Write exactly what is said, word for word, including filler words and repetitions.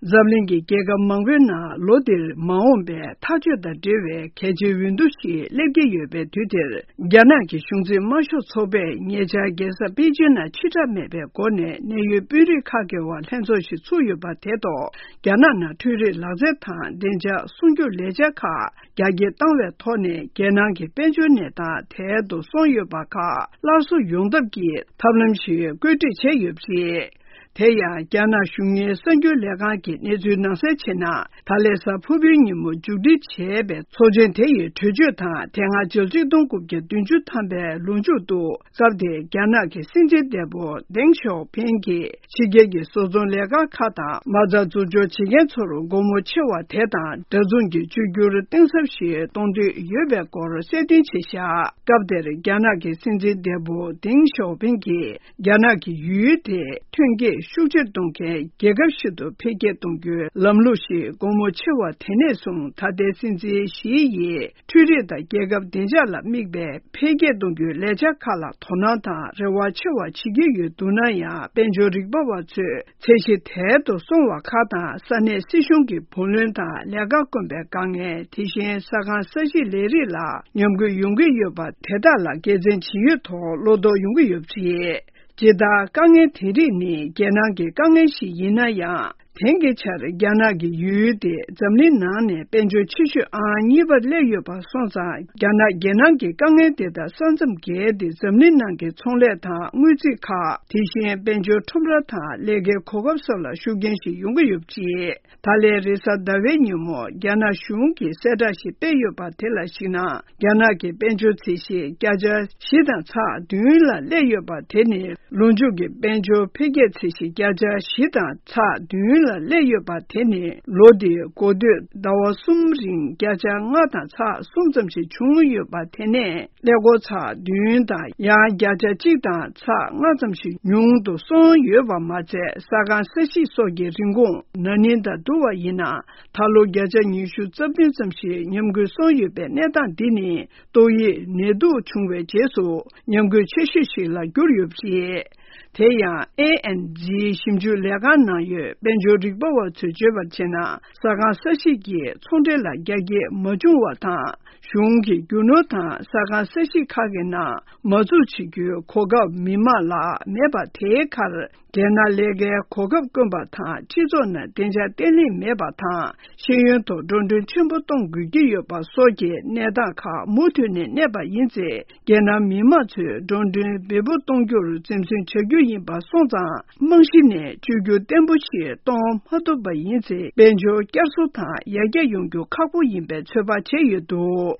འཛམ་གླིང་གི་རྒྱལ་ཁབ་མང་པོའི་ནང་ལོ་འདིར་མ་འོངས་པའི་ཐག་གཅོད་དང་འབྲེལ་བའི་གལ་ཆེའི་འོས་བསྡུ་ཞིག་སླེབས་ཀྱི་ཡོད་པའི་དུས་དེར། རྒྱ་ནག་གི་གཞུང་འཛིན་དམར་ཤོག་ཚོགས་པས་ཉེ་ཆར་རྒྱལ་ས་པེ་ཅིན་ནང་ཕྱི་བསྒྲགས་མེད་པའི་སྒོ་ནས་གནད་ཡོད་དཔོན་རིགས་ཁག་གི་དབར་ལྷན་ཚོགས་ཤིག་ཚུགས་ཡོད་པ་དེ་ཐོག་རྒྱ་ནག་ནང་འཕྲུལ་རིག་ལག་རྩལ་དང་བདེ་འཇགས་སྲུང་སྐྱོབ་ལས་འཆར་ཁག་རྒྱ་སྐྱེད་བཏང་བའི་ཐོག་ནས་རྒྱལ་ནང་གི་དཔལ་འབྱོར་གནས་སྟངས་དལ་དུ་སོང་ཡོད་པ་ཁག་སླར་གསོ་ཡོང་ཐབས་ཀྱི་ཐབས་ལམ་ཞིག་བཀོད་སྒྲིག་བྱས་ཡོད་པ་རེད། དེ་ཡང་རྒྱ་ནག་གཞུང་གཉེར་གསར་འགྱུར་ལས་ཁང་གིས་གནས་ཚུལ་ནང་གསལ་བྱས་ན། ད་ལན་གཟའ་ཕུར་བུའི་ཉིན་མོ་མཇུག་སྒྲིལ་བྱས་པའི་ཚོགས་ཆེན་དེ་ཡི་གྲོས་ཆོད་དང་དེ་སྔ་ཕྱི་ལོ་ཆིག་སྟོང་དགུ་བརྒྱ་བདུན་ཅུ་ཐམ་པའི་ལོ་མཇུག་ཏུ་སྐབས་དེའི་རྒྱ་ནག་གི་སྲིད་འཛིན་འདས་པོ་ཏེང་ཞའོ་ཕིང་གིས་ཕྱི་རྒྱལ་གྱི་བཟོ་ཚོང་ལས་ཁང་ཁག་དང་མ་རྩ་འཛུགས་སྐྱོང་བྱེད་མཁན་ཚོར་སྒོ་མོ་ཕྱེ་བ་དེ་དང་འདྲ་མཚུངས་ཀྱི་བཅོས་བསྒྱུར་གཏིང་ཟབ་ཞིག་གཏོང་འདོད་ཡོད་པའི་སྐོར་གསལ་སྟོན་བྱས་བཞག་སྐབས་དེར་རྒྱ་ནག་གི་སྲིད་འཛིན་འདས་པོ་ཏེང་ཞའོ་ཕིང་གིས། རྒྱ་ནག་གི་ཡུལ་དེ་ཐོན་སྐྱེད་ཤུགས་ཆེར་གཏོང་མཁན་རྒྱལ་ཁབ་ཞིག་ཏུ་འཕེལ་རྒྱས་གཏོང་རྒྱུའི་ལམ་ལུགས་ཤིག་སྒོ་མོ་ཕྱེ་བ་དེ་ནས་བཟུང་ད་ལྟའི་སྲིད་འཛིན་ཞི་ཡིས་འཕྲུལ་རིག་དང་རྒྱལ་ཁབ་བདེ་འཇགས་ལ་དམིགས་པའི་འཕེལ་རྒྱས་གཏོང་རྒྱུའི་ལས་འཆར་ཁག་ལ་དོ་སྣང་དང་རེ་བ་ཆེ་བ་བྱེད་ཀྱི་ཡོད་འདུག་ན་ཡང་། དཔལ་འབྱོར་རིག་པ་བ་ཚོས་ཚད་གཞི་དལ་དུ་སོང་བ་ཁག་དང་། ས་གནས་སྲིད་གཞུང་གི་བུ་ལོན་དང་ལས་ཀ་དཀོན་པའི་དཀའ་ངལ། དེ་བཞིན་ས་ཁང་ས་གཞིའི་ལས་རིགས་ལ་ཉམས་རྒུད་ཡོང་གི་ཡོད་པ་དེ་དག་ལ་དགེ་མཚན་ཇི་ཡོད་ཐོག་བློ་དོགས་ཡོང་གི་ཡོད་པ་རེད། ཇི་ལྟར་དཀའ་ངལ་དེ་རིགས་ནི་རྒྱལ་ནང་གི་དཀའ་ངལ་ཞིག་ཡིན་ན་ཡང་། དེང་གི་ཆར་རྒྱ་ནག་གི་ཡུལ་དེ་འཛམ་གླིང་ནང་ནས་དཔལ་འབྱོར་ཆེ་ཤོས་ཨང་གཉིས་པར་སླེབས་ཡོད་པ་སོང་ཙང་། རྒྱ་ནག་རྒྱལ་ནང་གི་དཀའ་ངལ་དེ་དག་ས་མཚམས་བརྒལ་ཏེ་འཛམ་གླིང་ནང་གི་ཚོང་ལས་དང་དངུལ་རྩིས་ཁག་དེ་བཞིན་དཔལ་འབྱོར་ཁྲོམ་ར་དང་ལས་ཀའི་གོ་སྐབས་སོགས་ལ་ཤུགས་རྐྱེན་ཞིག་ཡོང་གི་ཡོད་པ་རེད། ད་ལན་རེས་གཟའ་ཟླ་བའི་ཉིན་མོ་རྒྱ་ནག་གཞུང་གིས་གསལ་བསྒྲགས་ཤིག་སྤེལ་ཡོད་པ་དེ་ལ་གཞིགས་ན། རྒྱ་ནག་གི་དཔལ་འབྱོར་ཚད་གཞི་བརྒྱ་ཆ་བཞི་དང་ཚེག་བདུན་ལ་སླེབས་ཡོད་པ་དེ་ནི་ལོ་མཇུག་གི་དཔལ་འབྱོར་འཕེལ་རྒྱས་ཚད་གཞི་བརྒྱ་ཆ་བཞི་དང་ཚེག་བདུན་ལ་སླེབས་ཡོད་པ་དེ་ནི་ལོ་འདིའི་འགོ་སྟོད་ཟླ་བ་གསུམ་རིང་བརྒྱ་ཆ་ལྔ་དང་ཚེག་གསུམ་ཙམ་ཞིག་བྱུང་ཡོད་པ་དེ་ནས། ཀླད་ཀོར་ཚེག་བདུན་དང་ཡང་བརྒྱ་ཆ་གཅིག་དང་ཚེག་ལྔ་ཙམ་ཞིག་ཉུང་དུ་སོང་ཡོད་པ་མ་ཚད། ས་ཁང་ས་གཞིས་སོགས་ཀྱི་རིན་གོང་ན་ནིང་དང་བསྡུར་བ་ཡིན་ན། ད་ལོ་བརྒྱ་ཆ་ཉི་ཤུ་རྩ་བདུན་ཙམ་ཞིག་ཉམས་རྒུད་སོང་ཡོད་པའི་གནས་སྟངས་འདི་ནི་ཏོག་དབྱིབས་ནད་དུག་བྱུང་བའི་རྗེས་སུ་ཉམས་རྒུད་ཆེ་ཤོས་ཤིག་ལ་གྱུར་ཡོད་པ་རེད། དེ་ཡང་ཨེ་ཨེན་ཛི་ཞིབ་འཇུག་ལས་ཁང་ནང་ཡོད་དཔལ་འབྱོར་རིག་པ་བ་ཚོས་བརྗོད་པར་བྱས་ན། ས་ཁང་ས་གཞིས་ཀྱི་ཚོང་འབྲེལ་ལ་རྒྱ་སྐྱེད་མ་བྱུང་བ་དང་། གཞུང་གིས་རྒྱུ་ནོར་དང་ས་ཁང་ས་གཞིས་ཁག་གི་ནང་མ་འཛུགས་བྱེད་རྒྱུའི་གོ་སྐབས་མི་མང་ལ་མེད་པ་དེའི་ཁར། རྒྱལ་ནང་ལས་ཀའི་གོ་སྐབས་དཀོན་པ་དང་། སྤྱི་ཚོགས་ནང་བདེ་འཇགས་བརྟན་ལྷིང་མེད་པ་དང་། ཤེས་ཡོན་ཐོག་འགྲོ་གྲོན་ཆེན་པོ་གཏོང་དགོས་ཀྱི་ཡོད་པ་སོགས་ཀྱི་གནས་སྟངས་ཁག་མུ་མཐུད་ནས་གནས་པ་ཡིན་ཚེ། རྒྱལ་ནང་མི་མང་ཚོས་འགྲོ་གྲོན་འབེལ་པོ་གཏོང་རྒྱུར་འཛེམ་ཟོན་བྱ་རྒྱུ་ཡིན་པ་སོང་ཙང་། རྨང་གཞི་ནས་བཅོས་བསྒྱུར་བརྟན་པོ་ཞིག་གཏོང་མ་ཐུབ་པ་ཡིན་ཚེ། དཔལ་འབྱོར་བསྐྱར་གསོ་དང་ཡར་རྒྱས་ཡོང་རྒྱུ་ཁག་པོ་ཡིན་པའི་ཚོད་དཔག་བྱས་ཡོད་འདུག